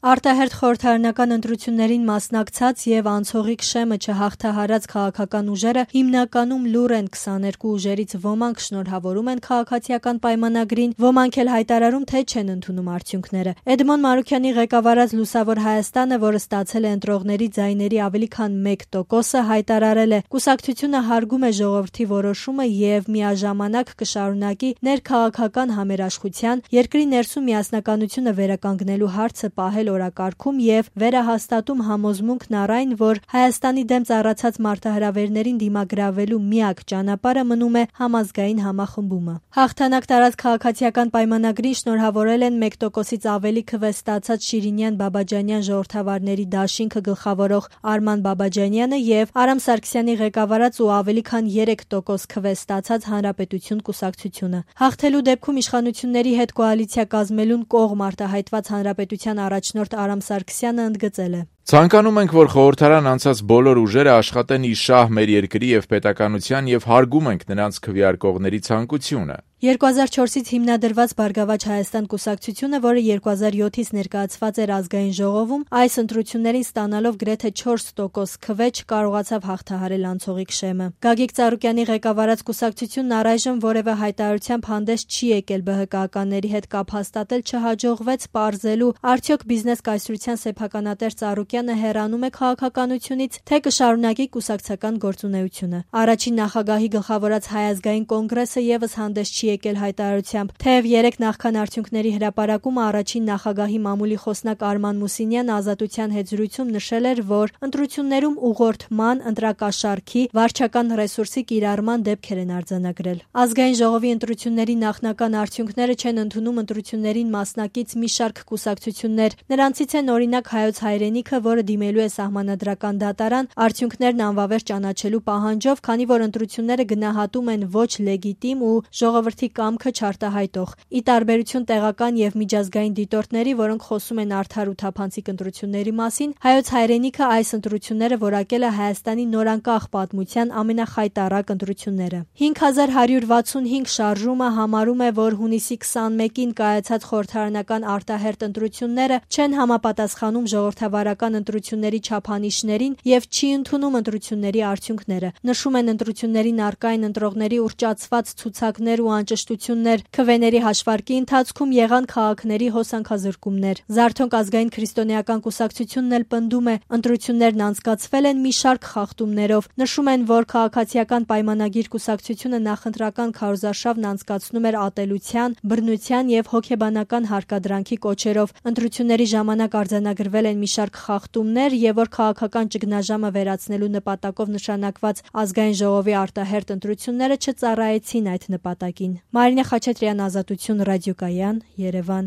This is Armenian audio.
Արտահերթ խորհրդարանական ընտրություններին մասնակցած եւ անցողիկ շեմը չհաղթահարած քաղաքական ուժերը հիմնականում լուր են 22 ուժերից ոմանք շնորհավորում են քաղաքացիական պայմանագրին, ոմանք էլ հայտարարում, թե չեն ընդունում արդյունքները։ Էդմոն Մարուքյանի ղեկավարած Լուսավոր Հայաստանը, որը ստացել է ընտրողների ձայների ավելի քան 1%-ը, հայտարարել է. կուսակցությունը հարգում է ժողովրդի որոշումը եւ միաժամանակ կշարունակի ներքաղաքական համերաշխության, երկրի ներսում միասնականությունը վերականգնելու հարցը պահել օրակարգում եւ վերահաստատում համոզմունքն առ այն, որ Հայաստանի դեմ ծառացած մարտահրավերներին դիմագրավելու միակ ճանապարհը մնում է համազգային համախմբումը։ Հաղթանակ տարած քաղաքացիական պայմանագրին շնորհավորել են 1%-ից ավելի քվե ստացած Շիրինյան-Բաբաջանյան ժողովրդավարների դաշինքը գլխավորող Արման Բաբաջանյանը եւ Արամ Սարգսյանի ղեկավարած ու ավելի քան 3% քվե ստացած Հանրապետություն կուսակցությունը։ Հաղթելու դեպքում իշխանությունների հետ կոալիցիա կազմելուն կողմ արտահայտված Հանրապետության առաջնորդ Արամ Սարգսյանը ընդգծել է. Ցանկանում ենք, որ խորհրդարան անցած բոլոր ուժերը աշխատեն ի շահ մեր երկրի եւ պետականության եւ հարգում ենք նրանց քվեարկողների ցանկությունը։ 2004-ից հիմնադրված Բարգավաճ Հայաստան կուսակցությունը, որը 2007-ից ներկայացված էր ազգային ժողովում, այս ընտրություններին ստանալով գրեթե 4% քվե չկարողացավ հաղթահարել անցողիկ շեմը։ Գագիկ Ծառուկյանի ղեկավարած կուսակցությունն առայժմ որևէ հայտարարությամբ հանդես չի եկել ԲՀԿ-ականների հետ կապ հաստատել, չհաջողվեց պարզելու, արդյոք բիզնես կայսրության սեփականատեր Ծառուկյանը հեռանում է քաղաքականությունից, թե կշարունակի կուսակցական գործունեությունը։ Առաջին նախագահի գլխավորած Հայ ազգային կոնգրեսը եւս հանդես չի եկել հայտարարությամբ, թեև 3 նախքան արդյունքների հրապարակումը առաջին նախագահի մամուլի խոսնակ Արման Մուսինյանը Ազատության հետ զրույցում նշել էր, որ ընտրություններում ուղղորդման, ընտրակաշառքի, վարչական ռեսուրսի կիրառման դեպքեր են արձանագրել։ Ազգային ժողովի ընտրությունների նախնական արդյունքները չեն ընդունում ընտրություններին մասնակից մի շարք կուսակցություններ, նրանցից են օրինակ Հայոց հայրենիքը, որը դիմելու է սահմանադրական դատարան արդյունքներն անվավեր ճանաչելու պահանջով, քանի որ ընտրությունները գնահատում են ոչ լեգիտիմ ու ժողովրդի կամքը չարտահայտող։ Ի տարբերություն տեղական եւ միջազգային դիտորդների, որոնք խոսում են արդար ու թափանցիկ ընտրությունների մասին, Հայոց հայրենիքը այս ընտրությունները որակել է Հայաստանի նորանկախ պատմության ամենախայտառակ ընտրությունները։ 5165 շարժումը համարում է, որ հունիսի 21-ին կայացած խորհրդարանական արտահերթ ընտրությունները չեն համապատասխանում ժողովրդավարական ընտրությունների չափանիշներին եւ չի ընդունում ընտրությունների արդյունքները։ Նշում են ընտրություններին առկային ընտրողների ուռճացված ցուցակներ ու անճշտություններ, քվեների հաշվարկի ընթացքում եղան քաղաքների հոսանքազրկումներ։ Զարթոնք ազգային քրիստոնեական կուսակցությունն էլ պնդում է, ընտրություններն անցկացվել են մի շարք խախտումներով։ Նշում են, որ քաղաքացիական պայմանագիր կուսակցությունը նախընտրական քարոզարշավն անցկացնում էր ատելության, բռնության եւ հոգեբանական հարկադրանքի կոչերով։ Ընտրությունների ժամանակ արձանագրվել են մի շարք խախտումներ եւ որ քաղաքական ճգնաժամը վերացնելու նպատակով նշանակված ազգային ժողովի արտահերթ ընտրությունները չծառայեցին այդ նպատակին։ Մարինե Խաչատրյան, Ազատություն ռադիոկայան, Երևան։